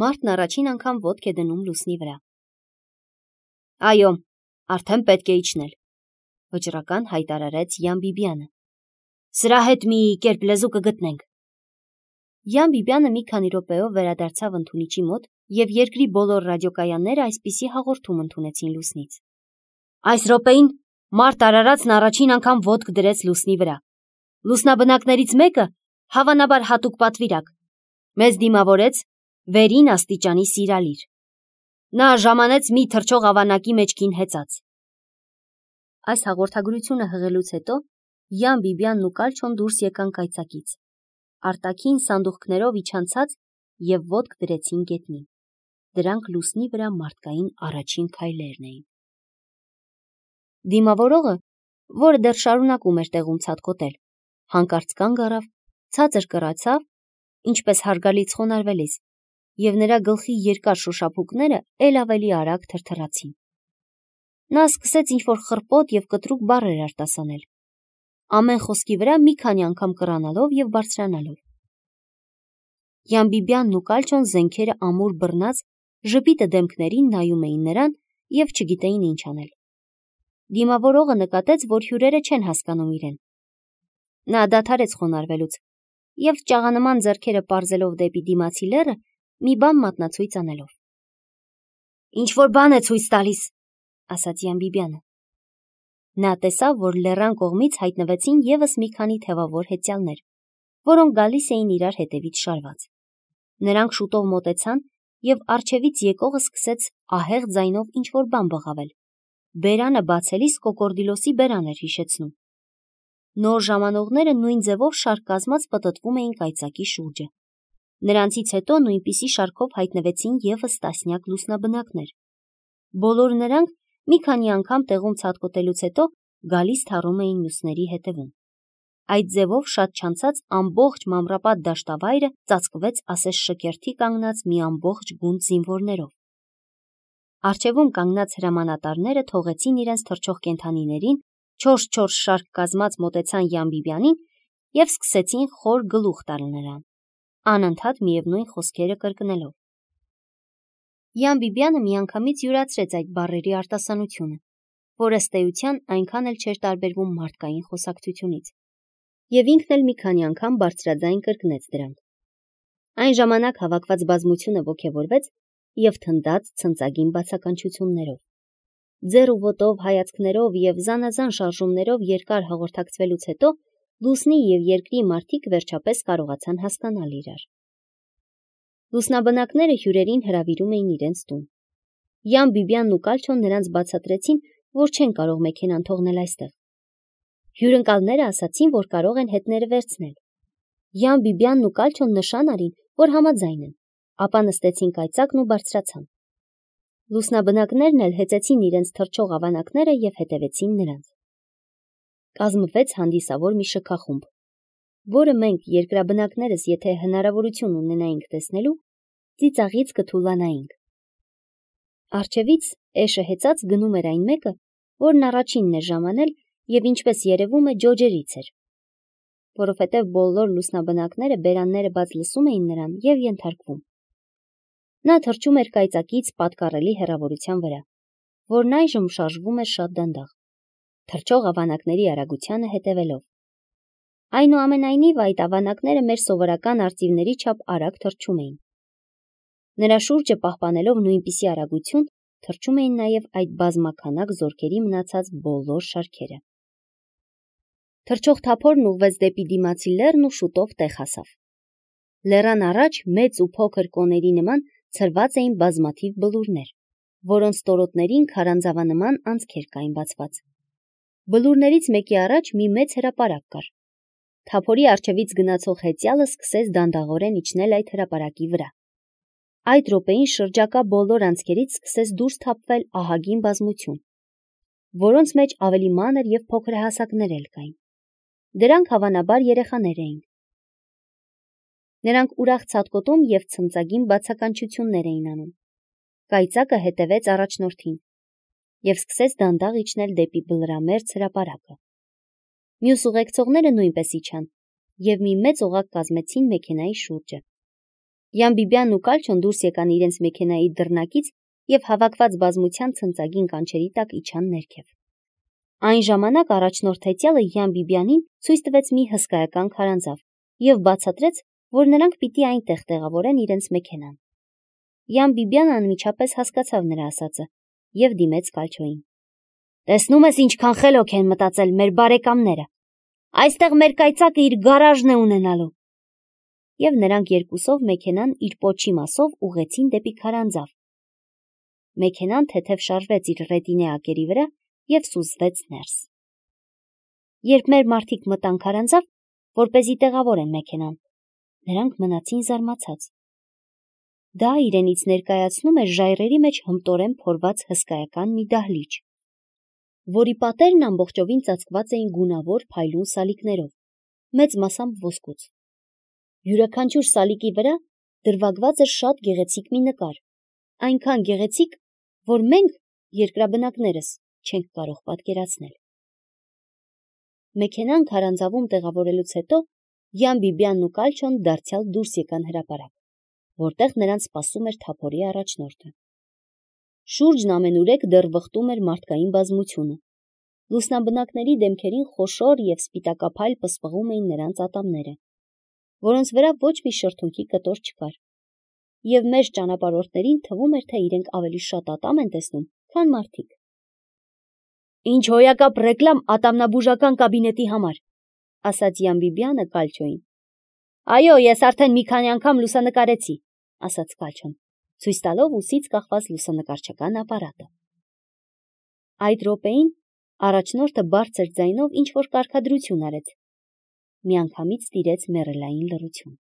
Մարդն առաջին անգամ ոտք է դնում լուսնի վրա։ Այո, արդեն պետք է իջնել, վճռական հայտարարեց Յան Բիբյանը։ Սրա հետ մի կերպ լեզու կգտնենք։ Յան Բիբյանը մի քանի րոպեով վերադարձավ ընդունիչի մոտ և երկրի բոլոր ռադիոկայանները այսպիսի հաղորդում ընդունեցին լուսնից։ Այս րոպեին մարդ արարածն առաջին անգամ ոտք դրեց լուսնի վրա։ Լուսնաբնակներից մեկը, հավանաբար հատուկ պատվիրակ, մեզ դիմավորեց վերին աստիճանի սիրալիր։ Նա ժամանեց մի թռչող ավանակի մեջքին հեծած։ Այս հաղորդագրությունը հղելուց հետո Յան Բիբյանն ու Կալչոն դուրս եկան կայծակից։ Արտաքին սանդուղքներով իջանցած և ոտք դրեցին գետնին։ Դրանք լուսնի վրա մարդկային առաջին քայլերն էին։ Դիմավորողը, որը դեռ շարունակում էր տեղում ցատկոտել, հանկարծ կանգ առավ, ցածր կռացավ, ինչպես հարգալից խոնարհվելիս, և նրա գլխի երկար շոշափուկները էլ ավելի արագ թրթռացին։ Նա սկսեց ինչ-որ խռպոտ և կտրուկ բառեր արտասանել, ամեն խոսքի վրա մի քանի անգամ կռանալով և բարձրանալով։ Յան Բիբյանն ու Կալչոն զենքերը ամուր բռնած ժպիտը դեմքներին նայում էին նրան և չգիտեին ինչ անել։ Դիմավորողը նկատեց, որ հյուրերը չեն հասկանում իրեն։ Նա դադարեց խոնարհվելուց և ճաղանման ձեռքերը պարզելով դեպի դիմացի լեռը, մի բան մատնացույց անելով։ Ինչ-որ բան է ցույց տալիս, ասաց Յան Բիբյանը։ Նա տեսավ, որ լեռան կողմից հայտնվեցին ևս մի քանի թևավոր հեծյալներ, որոնք գալիս էին իրար հետևից շարված։ Նրանք շուտով մոտեցան, և առջևից եկողը սկսեց ահեղ ձայնով ինչ-որ բան բղավել։ Բերանը բացելիս կոկորդիլոսի բերան էր հիշեցնում։ Նոր ժամանողները նույն ձևով շարք կազմած պտտվում էին կայծակի շուրջը։ Նրանցից հետո նույնպիսի շարքով հայտնվեցին ևս տասնյակ լուսնաբնակներ։ Բոլոր նրանք մի քանի անգամ տեղում ցատկոտելուց հետո գալիս թառում էին մյուսների հետևում։ Այդ ձևով շատ չանցած ամբողջ մանրապատ դաշտավայրը ծածկվեց ասես շքերթի կանգնած մի ամբողջ գունդ զինվորներով։ Առջևում կանգնած հրամանատարները թողեցին իրենց թռչող կենդանիներին, 4-4 շարք կազմած մոտեցան Յան Բիբյանին և սկսեցին խոր գլուխ տալ նրան, անընդհատ միևնույն խոսքերը կրկնելով։ Յան Բիբյանը միանգամից յուրացրեց այդ բառերի արտասանությունը, որ ըստ էության այնքան էլ չէր տարբերվում մարդկային խոսակցությունից, և ինքն էլ մի քանի անգամ բարձրաձայն կրկնեց դրանք։ Այն ժամանակ հավաքված բազմությունը ոգևորվեց և թնդաց ցնծագին բացականչություններով։ Ձեռ ու ոտով, հայացքներով և զանազան շարժումներով երկար հաղորդակցվելուց հետո լուսնի և երկրի մարդիկ վերջապես կարողացան հասկանալ իրար։ Լուսնաբնակները հյուրերին հրավիրում էին իրենց տուն։ Յան Բիբյանն ու Կալչոն նրանց բացատրեցին, որ չեն կարող մեքենան թողնել այստեղ։ Հյուրընկալները ասացին, որ կարող են հետները վերցնել։ Յան Բիբյանն ու Կալչոն նշան արին, որ համաձայն են, ապա նստեցին կայծակն ու բարձրացան։ Լուսնաբնակներն էլ հեծեցին իրենց թռչող ավանակները և հետևեցին նրանց։ Կազմվեց հանդիսավոր մի շքախումբ, որը մենք երկրաբնակներս, եթե հնարավորություն ունենայինք տեսնելու, ծիծաղից կթուլանայինք։ Առջևից էշը հեծած գնում էր այն մեկը, որն առաջինն էր ժամանել և ինչպես երևում է ջոջերից էր, որովհետև բոլոր լուսնաբնակները բերանները բաց լսում էին նրան և ենթարկվում։ Նա թռչում էր կայծակից պատկառելի հեռավորության վրա, որն այժմ շարժվում էր շատ դանդաղ, թռչող ավանակների արագությանը հետևելով։ Այնուամենայնիվ այդ ավանակները մեր սովորական արծիվների չափ արագ թռչում էին։ Նրա շուրջը պահպանելով նույնպիսի արագություն, թռչում էին նաև այդ բազմաքանակ զորքերի մնացած բոլոր շարքերը։ Թռչող թափորն ուղղվեց դեպի դիմացի լեռն ու շուտով տեղ հասավ։ Լեռան առաջ մեծ ու փոքր կոների նման ցրված էին բազմաթիվ բլուրներ, որոնց ստորոտներին քարանձավանման անցքեր կային բացված։ Բլուրներից մեկի առաջ մի մեծ հրապարակ կար։ Թափորի առջևից գնացող հեծյալը սկսեց դանդաղորեն իջնել այդ հրապարակի վրա։ Այդ րոպեին շրջակա բոլոր անցքերից սկսեց դուրս թափվել ահագին բազմություն, որոնց մեջ ավելի մանր և փոքրահասակներ էլ կային։ Դրանք հավանաբար երեխաներ էին։ Նրանք ուրախ ցատկոտում և ցնծագին բացականչություններ էին անում։ Կայծակը հետևեց առաջնորդին և սկսեց դանդաղ իջնել դեպի բլրամերձ հրապարակը։ Մյուս ուղեկցողները նույնպես իջան և մի մեծ օղակ կազմեցին մեքենայի շուրջը։ Յան Բիբյանն ու Կալչոն դուրս եկան իրենց մեքենայի դռնակից և հավաքված բազմության ցնծագին կանչերի տակ իջան ներքև։ Այն ժամանակ առաջնորդ հետյալը Յան Բիբյանին ցույց տվեց մի հսկայական քարանձավ և բացատրեց, որ նրանք պիտի այնտեղ տեղավորեն իրենց մեքենան։ Յան Բիբյանը անմիջապես հասկացավ նրա ասածը և դիմեց Կալչոյին։ «Տեսնում ես ինչքան խելոք են մտածել մեր բարեկամները։ Այստեղ մեր կայծակը իր գարաժն է ունենալու»։ Եվ նրանք երկուսով մեքենան իր պոչի մասով ուղղեցին դեպի քարանձավ։ Մեքենան թեթև շարժվեց իր ռետինեակերի վրա և սուզվեց ներս։ Երբ մեր մարդիկ մտան քարանձավ, որպեսզի տեղավորեն մեքենան, նրանք մնացին զարմացած։ Դա իրենից ներկայացնում էր ժայռերի մեջ հմտորեն փորված հսկայական մի դահլիճ, որի պատերն ամբողջովին ծածկված էին գունավոր փայլուն սալիկներով, մեծ մասամբ ոսկուց։ Յուրաքանչյուր սալիկի վրա դրվագված էր շատ գեղեցիկ մի նկար, այնքան գեղեցիկ, որ մենք, երկրաբնակներս, չենք կարող պատկերացնել։ Մեքենան քարանձավում տեղավորելուց հետո Յան Բիբյանն ու Կալչոն դարձյալ դուրս եկան հրապարակ, որտեղ նրանց սպասում էր թափորի առաջնորդը։ Շուրջն ամենուրեք դեռ վխտում էր մարդկային բազմությունը։ Լուսնաբնակների դեմքերին խոշոր և սպիտակափայլ պսպղում էին նրանց ատամները, որոնց վրա ոչ մի շրթունքի կտոր չկար, և մեծ ճանապարհորդներին թվում էր, թե իրենք ավելի շատ ատամ են տեսնում, քան մարդիկ։ «Ինչ հոյակապ ռեկլամ ատամնաբուժական կաբինետի համար», ասաց Յան Բիբյանը Կալչոյին։ «Այո, ես արդեն մի քանի անգամ լուսանկարեցի», ասաց Կալչոն, ցույց տալով ուսից կախված լուսանկարչական ապարատը։ Այդ րոպեին առաջնորդը բարձր ձայնով ինչ-որ կարգադրություն արեց։ Միանգամից տիրեց մեռելային լռություն։